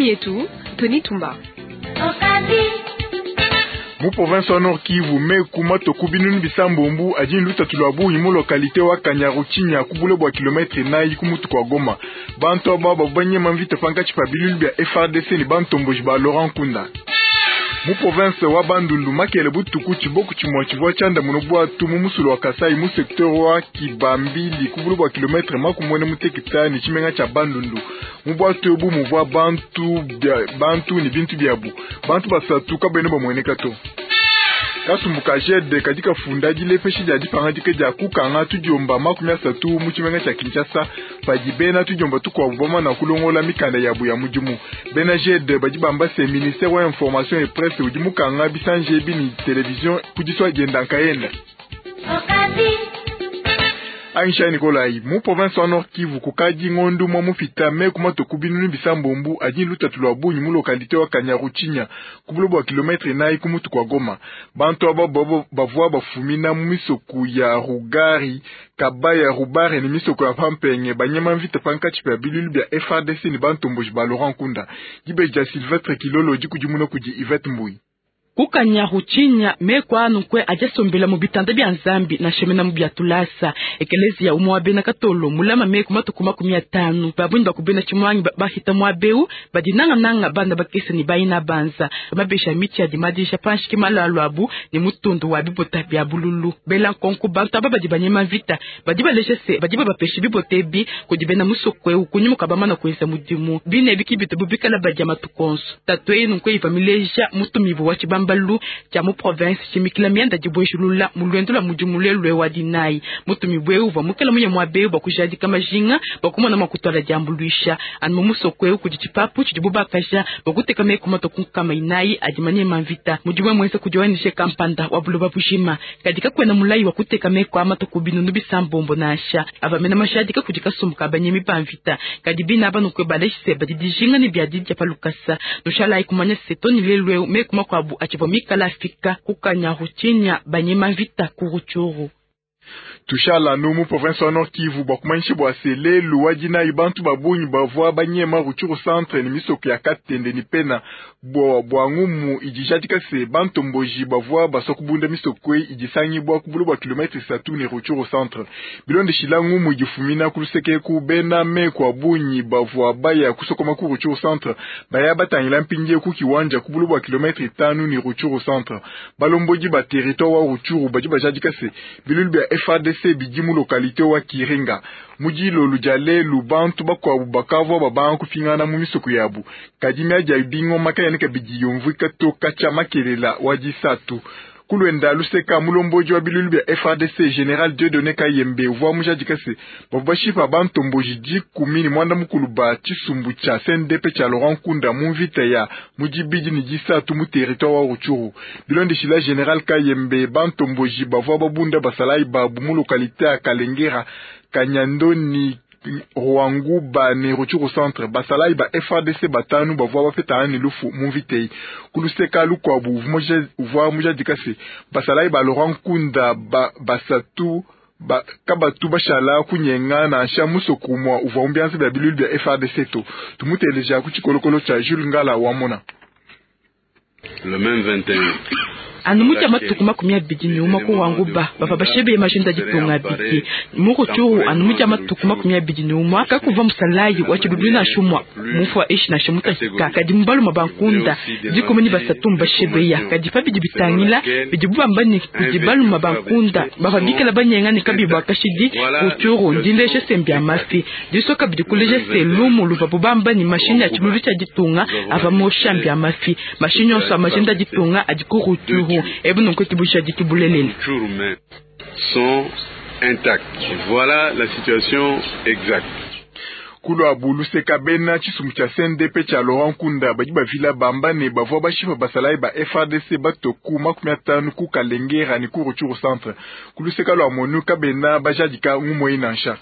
Mietu, Tony Tumba. Mu province wa Nord Kivu, meku matue ku binunu bisambombu adi ne lutatu lua bungi mu localite wa Kanyaruchinya ku bule bua kilometre inayi ku mutu kua Goma. Bantu aba bavua banyema mvita pankatshi pa biluilu bia FARDC ne bantomboji ba Laurent Nkunda. Mu province wa Bandundu, makele butuku tshiboku tshimue tshivua tshiandamuna buatu mu musulu wa Kasai mu secteur wa Kibambili ku bule bua kilometre makumue muteketa ne tshimenga tshia Bandundu. Mu buatu ebu muvua bantu, bantu ne bintu biabu. Bantu basatu kabena bamueneka to. Kasumbu ka GED kadi kafunda dilepesha dia dipangadika dia kukanga tudiomba 30 mu tshimenga tshia Kinshasa padi bena tudiomba tukuabu bamana kulongola mikanda yabu ya mudimu. Bena GED badi bamba se ministère wa information et presse udi mukanga bisanji ebi ne television ku disua dienda nkayenda. Aisha Nikolai, mu province wa Nord Kivu kukadi ngondu mwa mupita meku matue ku binunu bisambombu adi lutatu lua bungi mu localité wa Kanyaruchinya ku bule bua kilometre inayi ku mutu kua Goma. Bantu aba bavua bafumina mu misoku ya Rugari, Kabaya, Rubare ne misoko ya Pampenge banyema mvita pankatshi pa biluilu bia FARDC ne bantomboji ba Laurent Nkunda. Dibeji dia Sylvestre Kilolo dikudimuna kudi Yvette Mbuyi. Ku Kanyaruchinya meku anu nkwe adi asombela mu bitanda bia Nzambi nansha mena mu bia tulasa. Ekeleziya umue wa bena Katolo mulama meku matuku 50. Babunyi ba ku bena tshimuangi bahita muaba eu badi nangananga bana bakese ne bayina banza. Mabesha mitshi adi madisha panshi ke malalu abu ne mutundu wa bibota bia bululu. Bela nkonko bantu aba badi banyema mvita badi baleja se badi babapesha bibota ebi kudi bena musoko eu kunyima kua bamana kuenza mudimu. Bine ebi ki bitubu bikala badia matuku onso. Tatu eyi nunku iva mileja mutumibu wa tshibambalu tshia mu province tshimikila mianda dibuejulula mu luendu lua mudimu lelu wa dinayi. Mutumibu eu uvua mukela muye muaba eu bua kujadika majinga bua kumona mua kutuala diambuluisha. Anu mu musoko eu kudi tshipapu tshidibu bakaja bua kuteka meku matue ku 400 adi manyema mvita. Mudimu muenza kudi ONG kampanda wa buloba bujima. Kadi kakuena mulayi wa kuteka meku a matue ku 600 nansha. Ava mena majadika kudi kasumbu ka banyemi ba mvita. Kadi bina aba nukwe balejise badi dijinga ne bia didia pa lukasa. Nushalayi kumanya se toni lelu eu meku makuabu atshivua mikala afika ku Kanyaruchinya banyema mvita ku Rutshuru. Tushala nu mu province wa Nord Kivu bua kumanyisha bua se lelu wa dinayi bantu ba bungi bavua banyema Rutshuru centre ne misoko ya Katende ne Pena bua ngumu idi ijadika se bantomboji bavua basua kubunda misoko eyi idi isangibua ku bule bua kilometre isatu ne Rutshuru centre. Bilondeshila ngumu idi ifumina ku luseke eku, bena meku a bungi bavua baya kusokoma ku Rutshuru centre baya batangila mpindieu ku kiwanja ku bule bua kilometre itanu ne Rutshuru centre. Balombodi ba territoire wa Rutshuru badi bajadika se biluilu bia FARDC bidi mu localité wa Kiringa. Mu dilolu dia lelu bantu bakuabu bakavua babanga kupingana mu misoko yabu, kadi miadi ya bingoma kayena kabidi yumvuika to katshia makelela wa disatu. Ku luenda luseka mulombodi wa biluilu bia FARDC General Dieudonné Kayembe uvua mujadika se bavua bashipa bantomboji 18 ba tshisumbu tshia CNDP tshia Laurent Nkunda mu mvita ya mu dibidi ne disatu mu territoire wa Rutshuru. Bilondeshila General Kayembe, bantomboji bavua babunda basalayi babu mu localité ya Kalengera, Kanyandoni, Rwanguba ne Rutshuru centre. Basalayi ba FARDC batanu bavua bapetana ne lufu mu mvita eyi. Ku luseka lukuabu uvua mujadika se basalayi ba Laurent Nkunda basatu kabatu bashala kunyenga nansha musoko umue uvua mu bianza bia biluilu bia FARDC to. Tumuteleja ku tshikolokolo tshia Jules Ngala wamona. Le même 21. Anu mudia matuku 21 ku Rwanguba bavua bashebeye majinda ditunga abidi mu Rutshuru. Anu mudia matuku 21 kakuva musalayi wa tshiluilu nansha umue mufua eshi nansha mutahika. Kadi mu baluma ba Nkunda 13 mbashebeya. Kadi pa bidi bitangila bidibu bamba ne kudi baluma ba Nkunda bavua bikala banyenga ne kabiyi bua kashidi Rutshuru ndileje se mbia mafi. Disoka bidi kuleja se lumu luvabu bamba ne mashini ya tshiluilu tshia ditunga ava mosha mbia mafi. Mashini yonso a majinda ditunga adi ku Rutshuru. Ebu nunku kibusha dikibulelele. Sont intacts. Voilà la situation exacte. Kuluabu luseka bena tshisumbu tshia CNDP tshia Laurent Nkunda badi bavila bamba ne bavua bashipa basalayi ba FARDC batoku 50 ku Kalengera ne ku Rutshuru centre. Ku luseka lua MONUC kabena bajadika ngumu eyi nansha.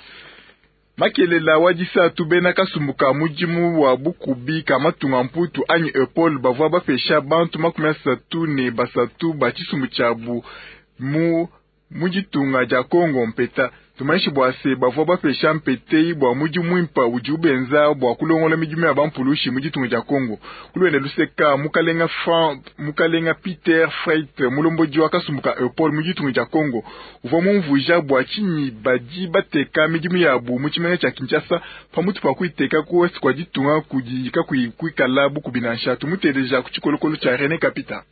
Makelela wa disatu bena kasumbu ka mudimu wa bukubi ka matunga mputu anyi EUPOL bavua bapesha bantu 33 ba tshisumbu tshiabu mu ditunga dia Congo mpeta. Tumanyishe bua se, bavua bapesha mpete eyi bua mudimu muimpe udibu benza bua kulongola midimu ya bampulushi mu ditunga dia Congo. Ku luende luseka, mukalenga Fran, mukalenga Peter Freit, mulombodi wa kasumbu ka Eupol mu ditunga dia Congo, uvua mumvuija bua tshinyi badi bateka midimu yabu mu tshimenga tshia Kinshasa pamutu pa kuyiteka ku ouest kua ditunga kudi kakuyi kuikala bukubi nansha. Tumuteleja ku tshikolokolo tshia Rene Kapita.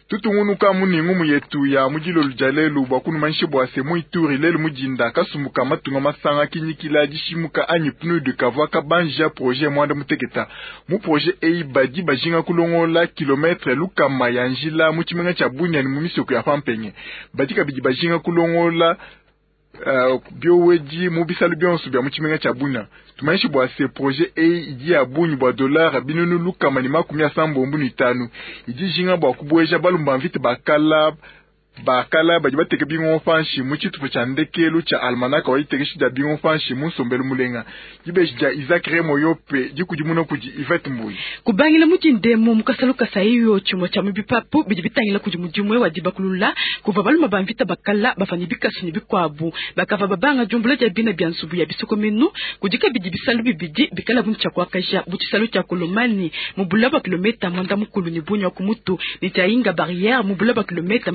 Tutungunuka mu ne ngumu yetu ya mu dilolo dia lelu bua kunumanyisha bua se mu Ituri lelu mu dinda kasumbu ka matunga masanga kinyikila dishimuka anyi PNUD kavua kabanjija projet muanda muteketa. Mu projet eyi badi bajinga kulongolola kilometre lukama ya njila mu tshimenga tshia Bunia ne mu misoko ya Pampenge. Badi kabidi bajinga kulongolola biowedi mu bisalu bionso bia mu tshimenga tshia Bunia. Tumanyishe bua se projet eyi idi ya bungi bua dollar 365 idi ijinga bua kubueja balumba mvita bakala badi bateka bingongo panshi mu tshitupa tshia ndekelu tshia almanaka wa ditekeshi dia bingongo panshi mu nsombelu mulenga. Dibeji dia Isaac Remo Yope dikudimuna kudi Yvette Mbuyi. Kubangila mu dindemo mu kasalu kasaiyo tshimue tshia mu bipapu bidi bitangila kudi mudimu wa dibakulula kuvua balume ba mvita bakala bavua ne bikasu ne bikuabu bakavua babanga diumbula dia bina bia nzubu ya bisokomenu kudi kabidi bisalu bibidi bikala bu tshia kuakaja bu tshisalu tshia Kolomani mu bula bua kilometa mwanda mukulu ne bunya ku mutu ne tshia Inga barrière mu bula bua kilometa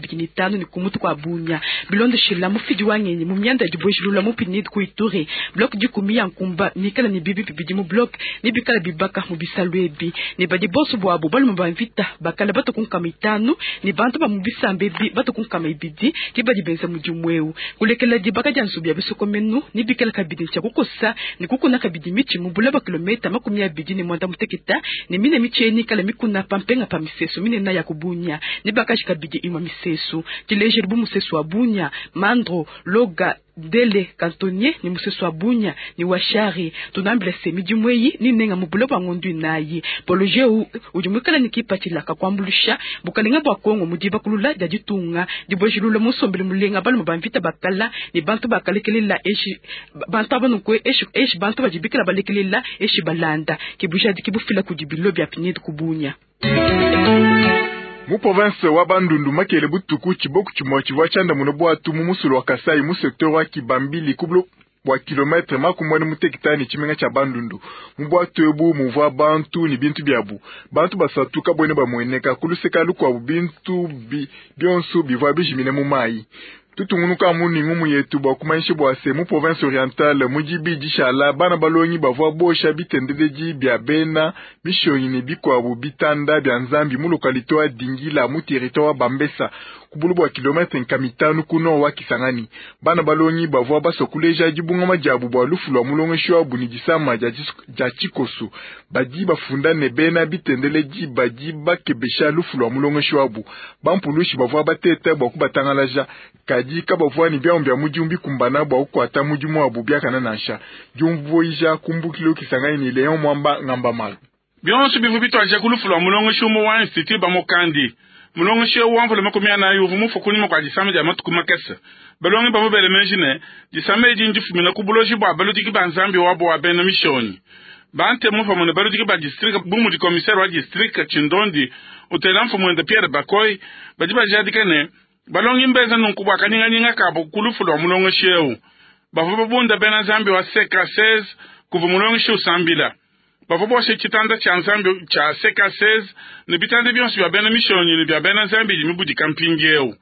25 ne ku mutu kua bunya bilondeshila mufidi wa ngenyi mu mianda ya dibuejilula mu PNUD ku Ituri bloc dikumi ya nkumba mikala ne bibi bibidi mu bloc ne bikala bibaka mu bisalu ebi ne badi bonso buabu balume ba mvita bakala batu ku 50 ne bantu ba mu bisambe ebi batu ku 200 ke badi benza mudimu eu kulekela dibaka dia nzubu ya bisokomenu ne bikala kabidi tshia kukosa ne kukuna kabidi mitshi mu bula bua kilometa 28 ne mine mitshi eni kala mikuna pampenga pa misesu minene ya kubunya ne bakaji kabidi imwe misesu tilejeli bu musesu wa Bunya Mandro Loga Dele Cantonnier ni musesu wa Bunya ni washari tunambila se midimu eyi ni nenga mu bula bua ngondu inayi poloje udi muikala ni kipatshila kakuambulusha bukalenga bua Kongo mu dibakulula dia ditunga dibuejilula musombele mulenga balume ba mvita bakala ne bantu bakalekelela eshi bantu aba nunku eshi eshi bantu badi bikala balekelela eshi balanda kibujadi kibufila kudi bilo bia PNUD ku Bunya. Mu province wa Bandundu makele butuku tshiboku tshimue tshivua tshiandamuna bwatu mu musulu wa Kasai mu secteur wa Kibambili ku bua kilometre 45 ne tshimenga tshia Bandundu. Mu bwatu ebu muvua bantu ne bintu biabu. Bantu basatu kabwene bamueneka kuluseka lukuabu bintu bionso bivua bijimine mu mayi. Tutungunuka mu ngumu yetu bua kumanyisha bua se mu province orientale mu dibidi shala bana balongi bavua bosha bitendeledi bia bena mishonyi ne bikuabu bitanda bia nzambi mu localité wa Dingila mu territoire wa Bambesa ku bulu bua kilometre 5 ku nord wa Kisangani. Bana balongi bavua basua kuleja dibungama diabu bua lufu lua mulongeshi wabu ne disama dia tshikoso. Badi bafunda ne bena bitendeledi badi bakebesha lufu lua mulongeshi wabu. Bampulushi bavua bateta bua kubatangalaja kadi kabavua ne biamu bia mudimu bikumbana bua kukuata mudimu wabu biakana nansha. Diumvuija kumbukilo Kisangani ne Leon Mwamba Ngamba Malu. Bionso bivu bitwaja ku lufu lua mulongeshi umue wa institut Bamokandi. Mulongeshi eu wamvula 40 uvua mufue kunyima kua disama dia matuku makese. Balongi bavua bele meji ne disama edi ndifumina ku buloji bua baludiki ba nzambi wabo wa bena mishonyi. Bantemu pamue ne baludiki ba district bu mudi commissaire wa district Tshindondi utela mfumu Pierre Bakoy badi bajadika ne balongi mbeza nunku bua kanyinganyinga kabo ku lufu lua mulongeshi eu. Bavua babunda bena nzambi wa CK16 kuva mulongeshi usambila. Bavua boshe tshitanda tshia nzambi tshia CK16 ne bitanda bionso bia bena mishonyi ne bia bena nzambi idi mibudika mpindiewu.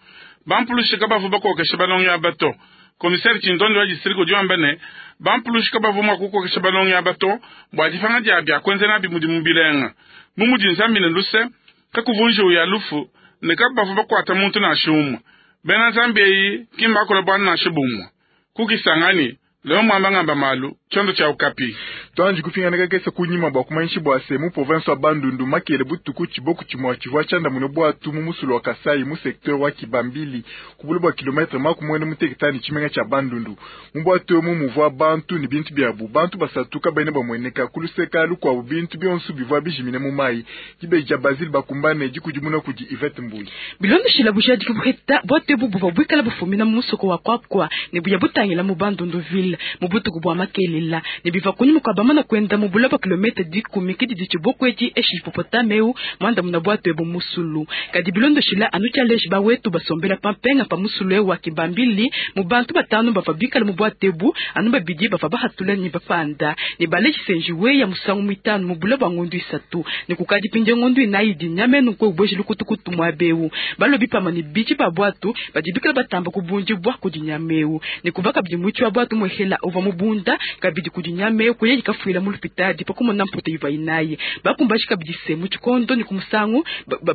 Bampulushi kabavua bakokesha balongi aba to. Commissaire Tshindondi wa district udi wamba ne bampulushi kabavua mua kukokesha balongi aba to bua dipanga dia bia kuenza nabi mudimu bilenga. Bu mudi nzambi ne luse kakuvunjiwu ya lufu ne kabavua bakuata muntu nansha umue. Bena nzambi eyi ki mbakula bualu nansha bumue. Ku Kisangani Leo Mwamba Ngamba Malu tshiondo tshia Okapi. Twanji kupingana kakese kunyima bua kumanyisha bua se mu province wa Bandundu makele butuku tshiboku tshimue tshivua tshiandamuna bwatu mu musulu wa Kasai mu secteur wa Kibambili ku bule bua kilometre 45 tshimenga tshia Bandundu. Mu bwatu emu muvua bantu ne bintu biabu. Bantu basatu kabene bamueneka kuluseka lukuabu bintu bionso bivua bijimine mu mayi. Dibeji dia Basile bakumbane dikudimuna kudi Yvette Mbuyi. Bilondeshila bujadi kubuheta bwatu ebu buvua buikala bufumina mu musoko wa Kwakwa ne buya butangila mu Bandundu ville mu butuku bua makelela ne biva kunyima kua Bamana kwenda mu bula bua kilomita 10 kidi ditshiboko edi eshi hippopotame eu mwandamuna bwatu ebu musulu. Kadi bilondoshila anu tshialeji bawetu basombela pampenga pa musulu eu wa Kibambili mu bantu batanu bava bikala mu bwatu ebu anu babidi bava bahatula ni bapanda ne baleji senjiwe ya musangu mwitanu mu bula bua ngondu isatu ne kukadi pinde ngondu inayi dinyamenu kwe ubweji lukutukutu mwabeu balobi pamwe ne bichi ba bwatu badi bikala batamba kubundi bwa kudinyameu ne kubaka bidi mwichi wa bwatu mwehela uva mubunda kabidi kudinyameu kuye kafuila mu lupitadi pakumona mputa iva inayi bakumbashi kabidi se mu tshikondo ne kumusangu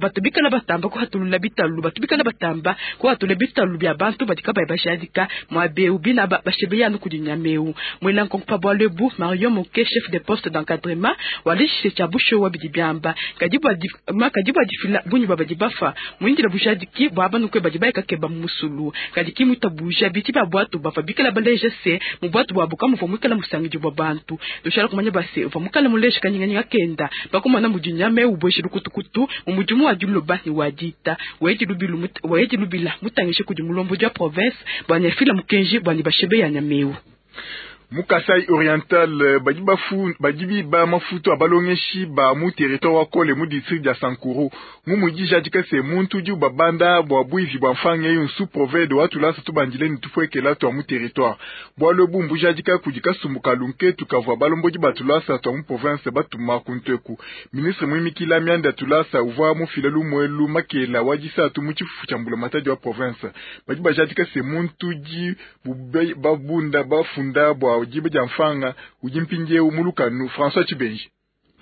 batu bikala batamba kuhatulula bitalu batu bikala batamba kuhatula bitalu bya bantu badi kabayi bashadika mwabeu bina bashebeyanu kudinyameu mwela nkonko pa bwalo ebu Marion Moke chef de poste d'encadrement walishe cha busho wa bidi byamba kadi bwa difila bunyi baba bafa mwindila bujadiki bwa bantu kwe badi bayeka keba musulu kadi kimuta buja biti ba bwatu bafa bikala baleje se mu bwatu bwa bukamu fo mwikala musangiji bwa bantu tushala kumanya base uva mukala mulesha kanyinganyinga kenda bakumana mudinyame ubweshi lukutukutu mu mudimu wa diloba ni wadita waedi lubila mutangishe kudi mulombo dia province bwa nyafila mukenji bwa ni bashebe ya nyameu. Mukasai Oriental badi ba mafutu abalongeshi ba mu territoire wa Kole mu district ya Sankuru ngumudi jadika se muntu di babanda bwa bwivi bwa mfange yunsu provede watu lasa tubandile ni tufwekela twa mu territoire bwalo bumbu jadika kudika sumbuka lunke tukavwa balomboji batulasa twa mu province batuma kuntweku ministre mwimikila mianda tulasa uvwa mu filelu mwelu makela wajisa tu mu chifufu cha mbula matadi wa province badi bajadika se muntu di babunda bafunda bwa jibe ja mfanga ujimpinje umulukanu François Chibenji.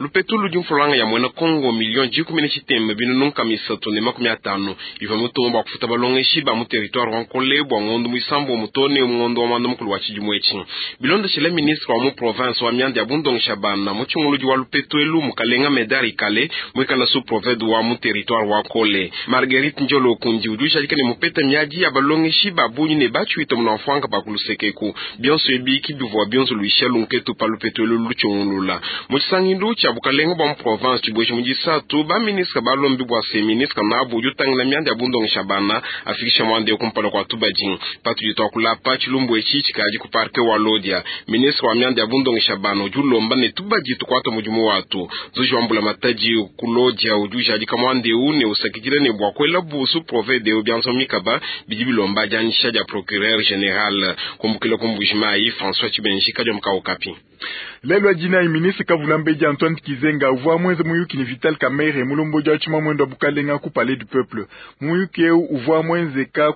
Lupetu ludi mfulanga ya mwena Kongo milioni 17 binunu misatu ne 50 iva mutombo bwa kufuta balongeshi ba mu territoire wa Nkole bwa ngondo muisambo mutone ngondo wa manda mukulu wa tshidimwetshi bilondeshele ministre wa mu province wa mianda ya bundongesha bana mu tshinguludi wa lupetu elu mukalenga Medari Kale mwikala su proved wa mu territoire wa Nkole Marguerite Njolo Kundi udi ushadika ne mupeta miadi ya balongeshi ba bunyi ne batshuita muna mfwanga ba kulusekeku bionso ebiki bivua bionso luisha lunketu pa lupetu elu lutshungulula mu tshisangilu tshia bukalenga bwa mu province tshibweshi mu disatu ba ministre balombi bwa se ministre nabu udi utangila mianda ya bundongesha bana afikisha mwanda kumpala kwa tubadi patudi twakulapa tshilumbu etshi tshikadi ku parke wa Lodia ministre wa mianda ya bundongesha bana udi ulomba ne tubadi tukwata mudimu watu zuji wa mbula matadi ku Lodia udi ujadika mwanda eu ne usakidila ne bwa kuela busu provede byanso mikaba bidi bilomba dianyisha dia procureur général kumbukila kumbujimai François Chibenji kadiomka Okapi. Lelo jina ministre Kavulambedi Antoine Kizenga uvua mwenze muyuki ni Vital Kamerhe mulomboji wa tshima mwendo wa bukalenga ku Palais du Peuple muyuki eu uvua mwenzeka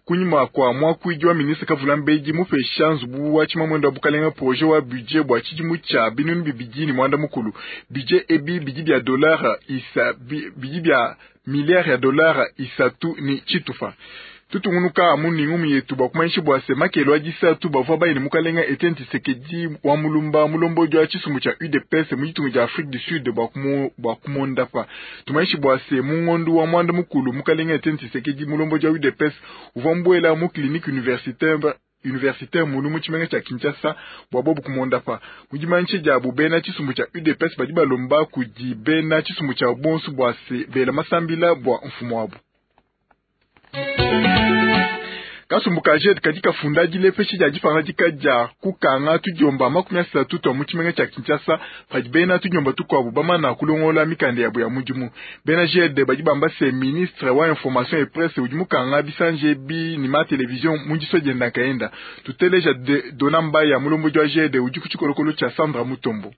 kunyima kwa mwakuidi wa ministre Kavulambedi mupesha nzubu wa tshima mwendo wa bukalenga projet wa budget bwa tshidimu tshia binunu bibidi ni mwanda mukulu budget ebi bidi bya dollar isa bidi bya milliard ya dollar isatu ni tshitufa. Tutungunuka amuningu yetu bakumanyisha bwa se makelo adisatu bavua bayine mukalenga Etienne Tshisekedi wa mulumba mulomboji wa tshisumbu tshia UDPS mu ditunga dia Afrique du Sud bwa kumondapa tumanyisha bwa se mungondu wa mwanda mukulu mukalenga Etienne Tshisekedi mulomboji wa UDPS uvua mbuela mu clinique universitaire munu mu tshimenga tshia Kinshasa bwa bobu kumondapa mudimanyisha diabu bena tshisumbu tshia UDPS badi balomba kudi bena tshisumbu tshia bonsu bwa se bela masambila bwa mfumu wabu. Kasumbu ka JED kadi kafunda dilepesha dia dipangadika dia kukanga tudiomba 30 twa mu tshimenga tshia Kinshasa padi bena tudiomba tukuabu bamana kulongola mikanda yabo ya mudimu. Bena JED badi bamba se ministre wa information et presse udi mukanga bisanje bi ni ma television mu diso dienda kaenda. Tuteleja Dona Mbaya mulomboji wa JED udi ku tshikolokolo tshia Sandra Mutombo.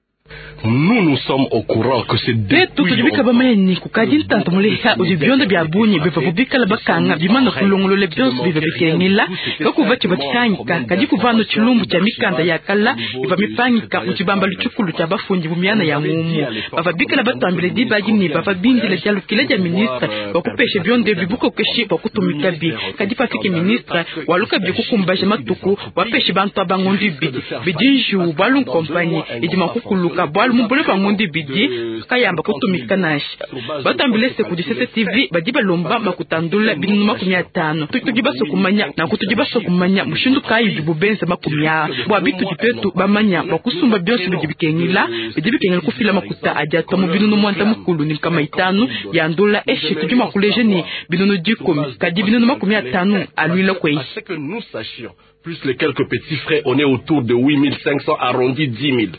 Nous, nous sommes au courant que c'est depuis longtemps. Bamani kukadi ntanto muleha udi bionda bya bunyi biva kubikala bakanga bimana kulongolola byonso biva bikengela kakuva tshiva tshihangika kadi kuvano tshilumbu tshia mikanda ya kala iva mipangika mu tshibamba lutshukulu tshia bafundi mu miana ya ngumu bava bikala batambile dibadi ne bava bindila dia lukila dia ministre bakupesha bionda bibukokeshi bakutumika bi kadi pafike ministre waluka bikukumbaja matuku wapesha bantu abangondi bidi bidinju bwalu nkompanyi idi makukuluka manyoka bualu mu bule bua ngondo ibidi kayamba kutumika nansha. Batuambile se kudi CCTV badi balomba makuta a ndola 500.000. Tudi basue kumanya nanku tudi basue kumanya mushindu kayi udibu benza makumi aa bua bitudi tuetu bamanya bua kusumba bionso bidi bikengela bidi bikengela kufila makuta adi atua mu 950 ya ndola eshi tudi mua kuleja ne 10.000 kadi 500.000 aluila kueyi. Plus les quelques petits frais, on est autour de 8500 arrondi 10 000.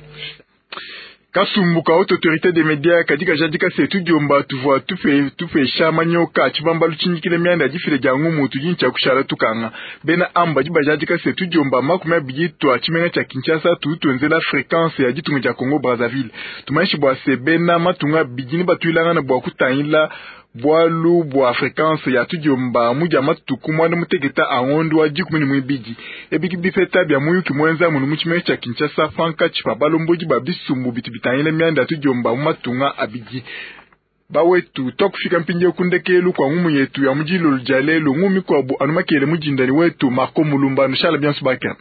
Kasumbu ka Haute Autorité des Medias kadi kajadika se tudiomba tuvua tupe tupesha manyoka tshibambalu tshinyikile mianda ya difila dia ngumu tudi ne tshia kushala tukanga. Bena amba badi bajadika se tudiomba 20 tua tshimenga tshia Kinshasa tudi tuenzela frequence ya ditunga dia Congo Brazzaville. Tumanyishi bua se bena matunga abidi ne batuilangana bua kutangila bualu bua frequence ya tudiomba mu dia matuku 16 a ngondo wa 12. Ebi ke bipeta bia muyuki muenza munu mu tshimenga tshia Kinshasa pankatshi pa balombodi ba bisumbu bitu bitangila mianda ya tudiomba mu matunga abidi. Bawetu, tuakufika mpindieu ku ndekelu kua ngumu yetu ya mu dilolo dia lelu. Ngumu mikuabu anu makele mu dinda ne wetu Marco Mulumba. Nushala bionso bakane.